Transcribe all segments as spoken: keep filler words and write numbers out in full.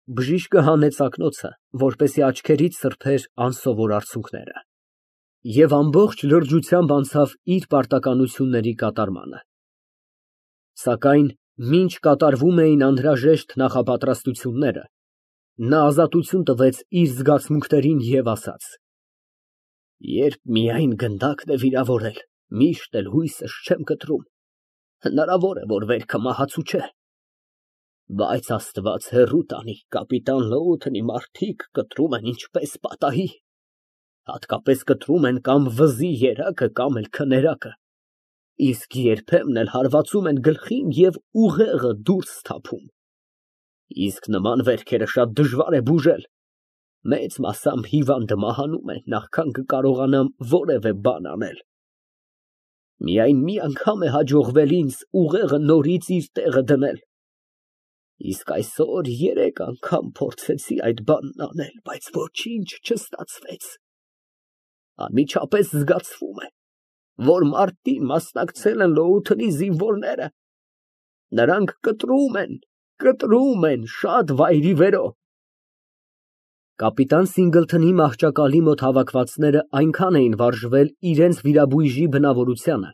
Բժիշկը հանեց ակնոցը, որպեսզի աչքերից սրբեր անսովոր արցունքները, և ամբողջ լրջությամբ անցավ իր պարտականությունների կատարմանը։ Սակայն մինչ կատարվում էին անհրաժեշտ նախապատրաստությունները, նա ազատություն տվեց իր զգացմունքներին և ասաց. «Երբ միայն գնդակն է վիրավորել, միշտ էլ հույսս չեմ կտրում, հնարավոր է, որ վերքը մահացու չէ, բայց Աստված հեռու տանի, կապիտան Լոութենի մարդիկ կտրում են ինչպես պատահի, հատկապես կտրում են կամ վզի երակը, կամ էլ քներակը, իսկ երբեմն էլ հարվածում են գլխին և ուղեղը դուրս թափում, իսկ նման վերքերը շատ դժվար է բուժել, մեծ մասամբ հիվանդը մահանում է, նախքան կկարողանամ որևէ բան անել։ Միայն մի անգամ է հաջողվել ինձ ուղեղը նորից իր տեղը դնել, իսկ այսօր երեք անգամ փորձեցի այդ բանն անել, բայց ոչինչ չստացվեց։ Անմիջապես զգացվում է, որ մարտին մասնակցել են Լոութենի զինվորները, նրանք կտրում են, կտրում են շատ վայրիվերո։ Կապիտան Սինգլթոնի մահճակալի մոտ հավաքվածները այնքան էին վարժվել իրենց վիրաբույժի բնավորությանը,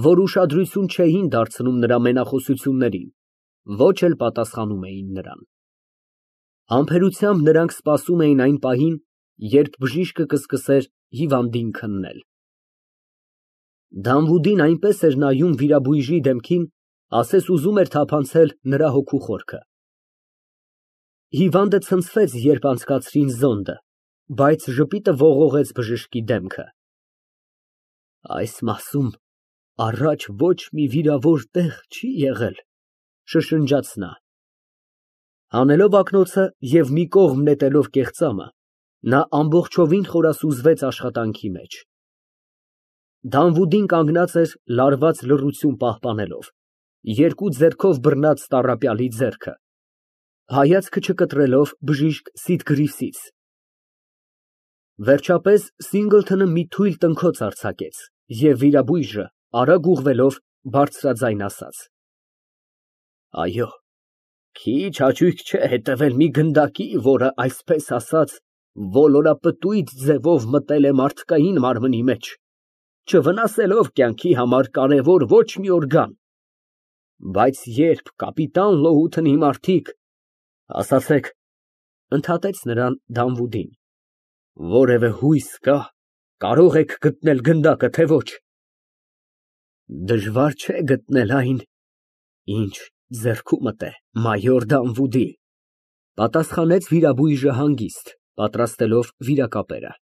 որ ուշադրություն չէին դարձնում նրա մենախոսություններին, ոչ էլ պատասխանում էին նրան։ Համբերությամբ նրանք սպասում էին այն պահին, երբ բժիշկը կսկսեր հիվանդին քննել։ Դանվուդին այնպես էր նայում վիրաբույժի դեմքին, ասես ուզում էր թափանցել նրա հոգու խորքը։ Հիվանդը ցնցվեց, երբ անցկացրին զոնդը, բայց ժպիտը ողողեց բժշկի դեմքը։ Այս մասում առաջ ոչ մի վիրավոր տեղ չի եղել, շշնջաց նա։ Հանելով ակնոցը և մի կողմ նետելով կեղծամը, նա ամբողջովին խորասուզվեց աշխատանքի մեջ։ Դանվուդին կանգնած էր լարված լռություն պահպանելով, երկու ձեռքով բռնած տառապյալի ձեռքը, հայացքը չկտրելով բժիշկ Սիտգրիվսից։ Վերջապես Սինգլթոնը մի թույլ տնքոց արձակեց, և վիրաբույժը, արագ ուղղվելով, բարձրաձայն ասաց. Այո, քիչ հաճույք չէ հետևել մի գնդակի, որը, այսպես ասած, ոլորապտույտ ձևով մտել է մարդկային մարմնի մեջ, չվնասելով կյանքի համար կարևոր ոչ մի օրգան, բայց երբ կապիտան Լոութենի մարդիկ, ասացեք, ընդհատեց նրան Դանվուդին, որևէ հույս կա, կարող եք գտնել գնդակը, թե ոչ։ Դժվար չէ գտնել այն, ինչ ձեռքումդ է, մայոր Դանվուդի, պատասխանեց վիրաբույժը հանգիստ, պատրաստելով վիրակապերը։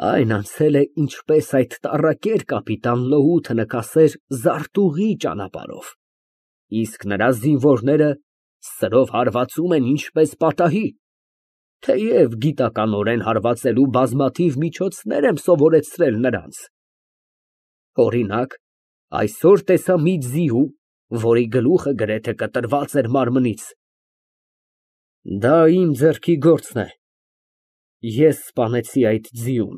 Այն անցել է ինչպես այդ տառակեր կապիտան Լոութենը կասեր զարտուղի ճանապարհով, իսկ նրա զինվորները սրով հարվածում են ինչպես պատահի, թեև գիտականորեն հարվածելու բազմաթիվ միջոցներ եմ սովորեցրել նրանց։ Օրինակ, այսօր տեսա մի ձիու, որի գլուխը գրեթե կտրված էր մարմնից։ Դա իմ ձեռքի գործն է, ես սպանեցի այդ ձիուն,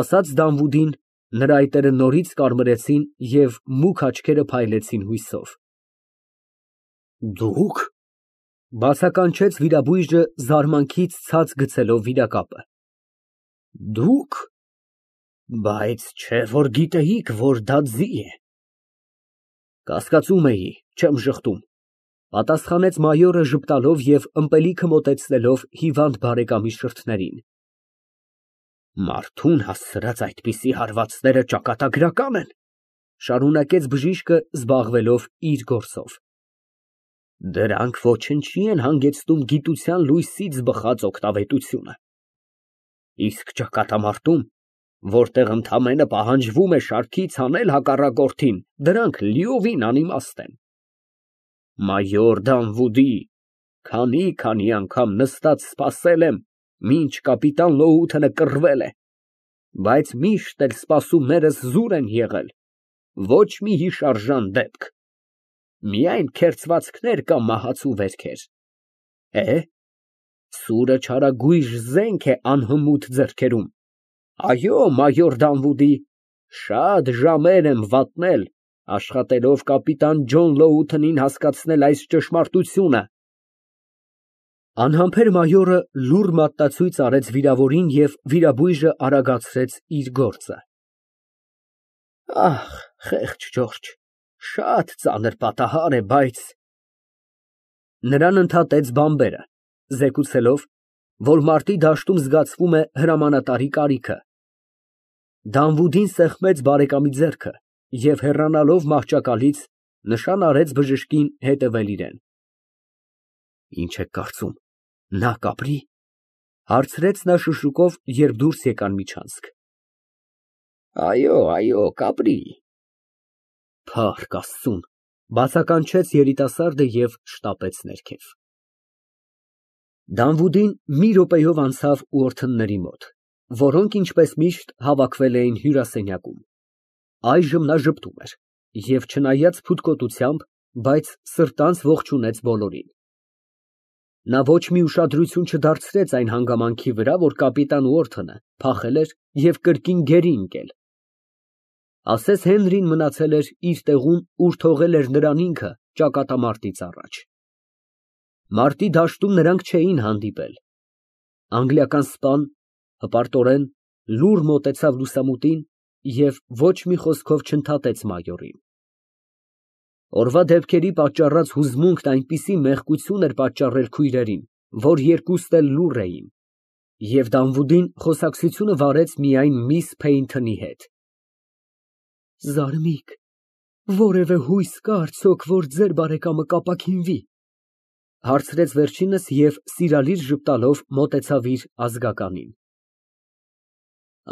ասաց Դանվուդին, նրա այտերը նորից կարմրեցին և մուգ աչքերը փայլեցին հույսով։ Դուք, բացականչեց վիրաբույժը զարմանքից ցած գցելով վիրակապը, դուք, բայց չէ որ գիտեիք, որ դա ձի է։ Կասկածում էի, չեմ ժխտում, պատասխանեց մայորը ժպտալով և ըմպելիքը մոտեցնելով հիվանդ բարեկամի շրթերին։ Մարդուն հասցրած այդպիսի հարվածները ճակատագրական են, շարունակեց բժիշկը, զբաղվելով իր գործով։ Դրանք ոչնչի են հանգեցնում գիտության լույսից բխած օգտավետությունը։ Իսկ ճակատամարտում, որտեղ ընդամենը պահանջվում է շարքից հանել հակառակորդին, դրանք լիովին անիմաստ են։ Մայոր Դանվուդի, քանի֊քանի անգամ նստած սպասել եմ, մինչ կապիտան Լոութենը կռվել է, բայց միշտ էլ սպասումներս զուր են եղել, ոչ մի հիշարժան դեպք, միայն քերծվածքներ կամ մահացու վերքեր։ Է, սուրը չարագույժ զենք է անհմուտ ձեռքերում։ Այո, մայոր Դանվուդի, շատ ժամեր եմ վատնել, աշխատելով կապիտան Ջոն Լոութենին հասկացնել այս ճշմարտությունը։ Անհամբեր մայորը լուռ մատնացույց արեց վիրավորին և վիրաբույժը արագացրեց իր գործը։ Ահ, խեղճ Ջորջ, շատ ծանր պատահար է, բայց… Նրան ընդհատեց բանբերը, զեկուցելով, որ մարտի դաշտում զգացվում է հրամանատարի կարիքը։ Դանվուդին սեղմեց բարեկամի ձեռքը և հեռանալով մահճակալից, նշան արեց բժշկին հետևել իրան։ Ինչ եք կարծում, նա կապրի՞, հարցրեց նա շշուկով, երբ դուրս եկան միջանցք։ Այո, այո, կապրի։ Փառք Աստծուն, բացականչեց երիտասարդը և շտապեց ներքև։ Դանվուդին մի րոպեով անցավ ուորթնների մոտ, որոնք, ինչպես միշտ, հավաքվել էին հյուրասենյակում։ Այժմ նա ժպտում էր և, չնայած փութկոտությամբ, բայց սրտանց ողջունեց բոլորին։ Նա ոչ մի ուշադրություն չդարձրեց այն հանգամանքի վրա, որ կապիտան Ուորթոնը փախել էր և կրկին գերի ընկել։ Ասես Հենրին մնացել էր իր տեղում, ուր թողել էր նրան ինքը ճակատամարտից առաջ։ Մարտի դաշտում նրանք չէին հանդիպել։ Անգլիական սպան հպարտորեն լուռ մոտեցավ լուսամուտին և ոչ մի խոսքով չընդհատեց մայորին։ Օրվա դեպքերի պատճառած հուզմունքն այնպիսի մեղկություն էր պատճառել քույրերին, որ երկուստ էլ լուռ էին, և Դանվուդին խոսակցությունը վարեց միայն միս Փեյնթոնի հետ։ Զարմիկ, որևէ հույս կա՞ արդյոք, որ ձեր բարեկամը կապաքինվի, հարցրեց վերջինս և սիրալիր ժպտալով մոտեցավ իր ազգականին։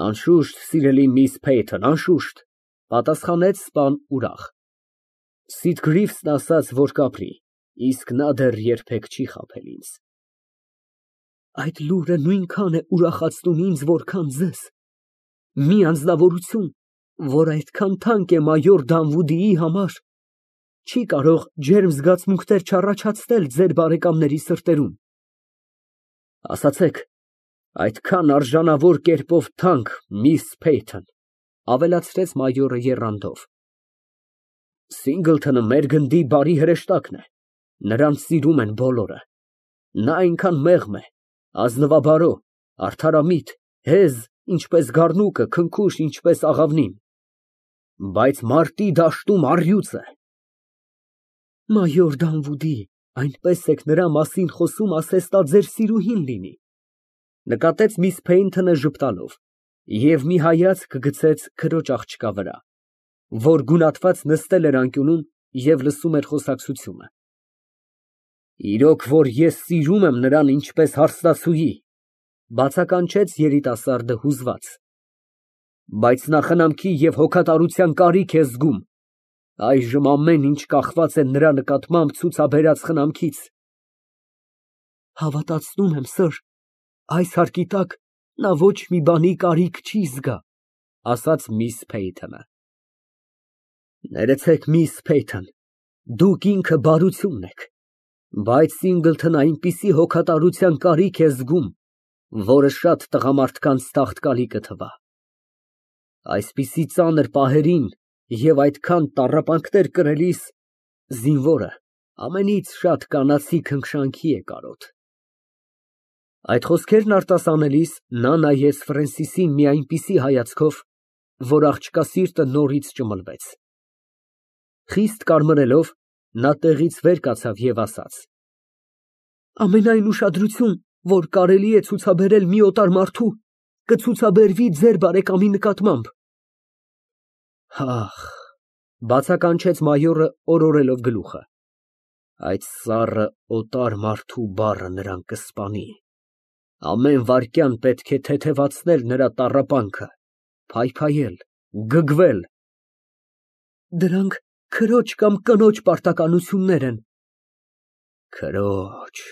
Անշուշտ, սիրելի միս Փեյթոն, անշուշտ, պատասխանեց սպան ուրախ։ Սիթգրիվսն ասաց, որ կապրի, իսկ նա դեռ երբեք չի խաբել ինձ։ Այդ լուրը նույնքան է ուրախացնում ինձ, որքան ձեզ։ Մի անձնավորություն, որ այդքան թանկ է մայոր Դանվուդիի համար, չի կարող ջերմ զգացմունքներ չառաջացնել ձեր բարեկամների սրտերում։ Ասացեք, այդքան արժանավոր կերպով թանկ միս Փեյթոն, ավելացրեց մայորը եռանդով։ Սինգլթոնը մեր գնդի բարի հրեշտակն է, նրան սիրում են բոլորը, նա այնքան մեղմ է, ազնվաբարո, արդարամիտ, հեզ, ինչպես գառնուկը, քնքուշ, ինչպես աղավնին, բայց մարտի դաշտում առյուծ է։ Մայոր Դանվուդի, այնպես եք նրա մասին խոսում, ասես նա ձեր սիրուհին լինի, նկատեց միս Փեյնթոնը ժպտալով և մի հայացք գցեց քրոջ աղջկա վրա, որ գունատված նստել էր անկյունում և լսում էր խոսակցությունը։ Իրոք որ ես սիրում եմ նրան ինչպես հարսնացուի, բացականչեց երիտասարդը հուզված, բայց նա խնամքի և հոգատարության կարիք է զգում, այժմ ամեն ինչ կախված է նրա նկատմամբ ցուցաբերած խնամքից։ Հավատացնում եմ, սըր, այս հարկի տակ նա ոչ մի բանի կարիք չի զգա, ասաց միս Փեյթոնը։ Ներեցեք, միս Փեյթոն, դուք ինքը բարությունն եք, բայց Սինգլթոնը այնպիսի հոգատարության կարիք է զգում, որը շատ տղամարդկանց թախծալի կթվա։ Այսպիսի ծանր պահերին և այդքան տառապանքներ կրելիս զինվորը ամենից շատ կանացի քնքշանքի է կարոտ։ Այդ խոսքերն արտասանելիս նա նայեց Ֆրենսիսին մի այնպիսի հայացքով, որ աղջկա սիրտը նորից ճմլվեց։ Խիստ կարմրելով, նա տեղից վեր կացավ և ասաց. Ամենայն ուշադրություն, որ կարելի է ցուցաբերել մի օտար մարդու, կցուցաբերվի ձեր բարեկամի նկատմամբ։ Ահ, բացականչեց մայորը օրորելով գլուխը, այդ սառը օտար մարդու բառը նրան կսպանի, ամեն վայրկյան պետք է թեթևացնել նրա տառապանքը, փայփայել, գգվել։ Դրանք քրոջ կամ կնոջ պարտականություններ են։ Քրոջ,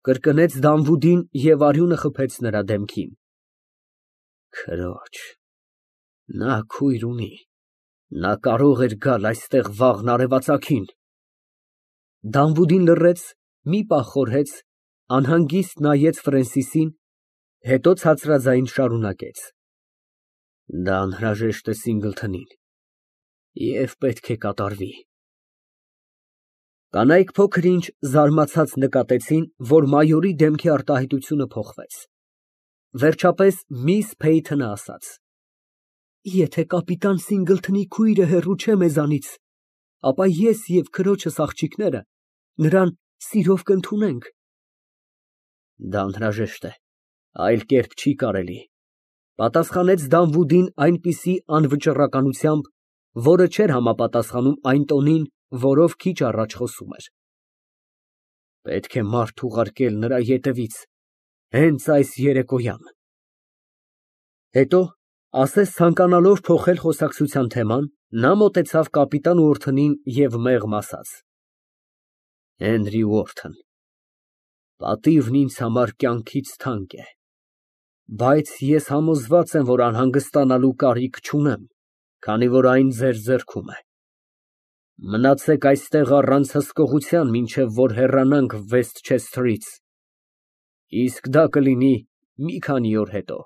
կրկնեց Դանվուդին և արյունը խփեց նրա դեմքին։ Քրոջ, նա քույր ունի, նա կարող էր գալ այստեղ վաղն արևածագին։ Դանվուդին լռեց, մի պահ խորհեց, անհանգիստ նայեց Ֆրենսիսին, հետո ցածրաձայն շարունակեց. Դա անհրաժեշտ է Սինգլթոնին և պետք է կատարվի։ Կանայք փոքր-ինչ զարմացած նկատեցին, որ մայորի դեմքի արտահայտությունը փոխվեց, վերջապես միս Փեյթոնը ասաց. Եթե կապիտան Սինգլթոնի քույրը հեռու չէ մեզանից, ապա ես և քրոջս աղջիկները նրան սիրով կընդունենք։ Դա անհրաժեշտ է, այլ կերպ չի կարելի, պատասխանեց Դանվուդին այնպիսի անվճռականությամբ, որը չէր համապատասխանում այն տոնին, որով քիչ առաջ խոսում էր։ Պետք է մարդ ուղարկել նրա ետևից հենց այս երեկոյան։ Հետո, ասես ցանկանալով փոխել խոսակցության թեման, նա մոտեցավ կապիտան Ուորթնին և մեղմ ասաց. Հենրի Ուորթն, պատիվն ինձ համար կյանքից թանկ է, բայց ես համոզված եմ, որ անհանգստանալու կարիք չունեմ, քանի որ այն ձեր ձեռքում է։ Մնացեք այստեղ առանց հսկողության, մինչև որ հեռանանք Վեսթչեսթերից, իսկ դա կլինի մի քանի օր հետո։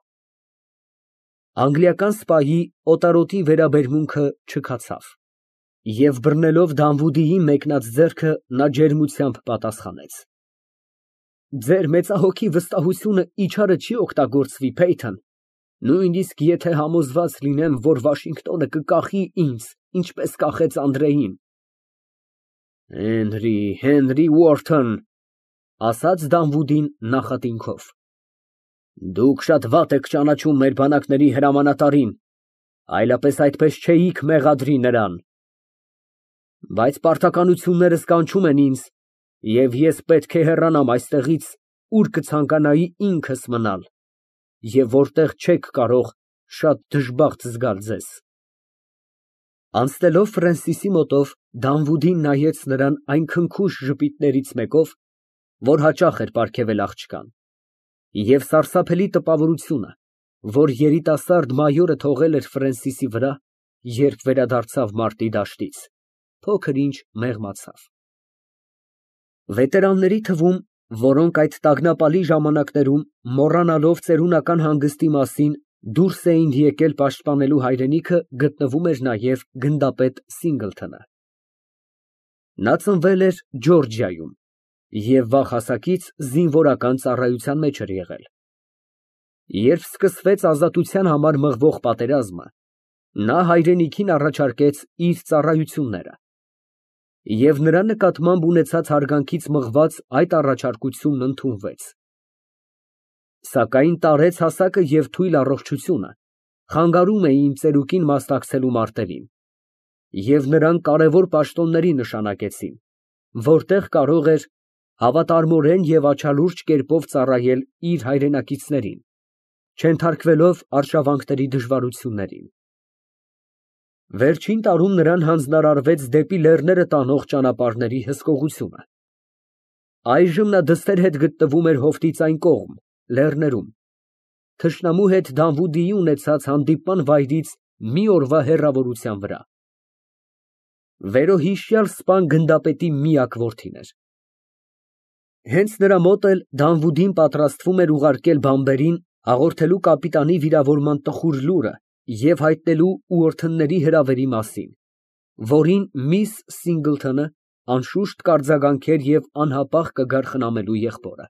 Անգլիական սպայի օտարոտի վերաբերմունքը չքացավ, և բռնելով Դանվուդիի մեկնած ձեռքը, նա ջերմությամբ պատասխանեց. Ձեր մեծահոգի վստահությունը իչարը չի օգտագործվի, Փեյթոն, նույնիսկ եթե համոզված լինեմ, որ Վաշինգտոնը կկախի ինձ, ինչպես կախեց Անդրեին։ Հենրի, Հենրի Ուորթն, ասաց Դանվուդին նախատինքով, դուք շատ վատ եք ճանաչում մեր բանակների հրամանատարին, այլապես այդպես չէիք մեղադրի նրան։ Բայց պարտականություններս կանչում են ինձ, և ես պետք է հեռանամ այստեղից, ուր կցանկանայի ինքս մնալ, և որտեղ չեք կարող շատ դժբախտ զգալ ձեզ։ Անցնելով Ֆրենսիսի մոտով, Դանվուդին նայեց նրան այն քնքուշ ժպիտներից մեկով, որ հաճախ էր պարգևել աղջկան, և սարսափելի տպավորությունը, որ երիտասարդ մայորը թողել էր Ֆրենսիսի վրա, երբ վերադարձավ մարտի դաշտից, փոքր-ինչ մեղմացավ։ Վետերանների թվում, որոնք այդ տագնապալի ժամանակներում, մոռանալով ծերունական հանգստի մասին, դուրս էին եկել պաշտպանելու հայրենիքը, գտնվում էր նաև գնդապետ Սինգլթոնը։ Նա ծնվել էր Ջորջիայում և վաղ հասակից զինվորական ծառայության մեջ էր եղել։ Երբ սկսվեց ազատության համար մղվող պատերազմը, նա հայրենիքին առաջարկեց իր ծառայությունները, և նրա նկատմամբ ունեցած հարգանքից մղված այդ առաջարկությունն ընդունվեց։ Սակայն տարեց հասակը և թույլ առողջությունը խանգարում էին ծերուկին մասնակցելու մարտերին, և նրան կարևոր պաշտոնների նշանակեցին, որտեղ կարող էր հավատարմորեն և աչալուրջ կերպով ծառայել իր հայրենակիցներին, չենթարկվելով արշավանքների դժվարություններին։ Վերջին տարում նրան հանձնարարվեց դեպի լեռները տանող ճանապարհների հսկողությունը։ Այժմ նա դստեր հետ գտնվում էր հովտից այն կողմ, լեռներում, թշնամու հետ Դանվուդիի ունեցած հանդիպման վայրից մի օրվա հեռավորության վրա։ Վերոհիշյալ սպան գնդապետի միակ որդին էր։ Հենց նրա մոտ էլ Դանվուդին պատրաստվում էր ուղարկել բանբերին հաղորդելու կապիտանի վիրավորման տխուր լուրը և հայտնելու Ուորթնների հրավերի մասին, որին միս Սինգլթոնը անշուշտ կարձագանքեր և անհապաղ կգար խնամելու եղբորը։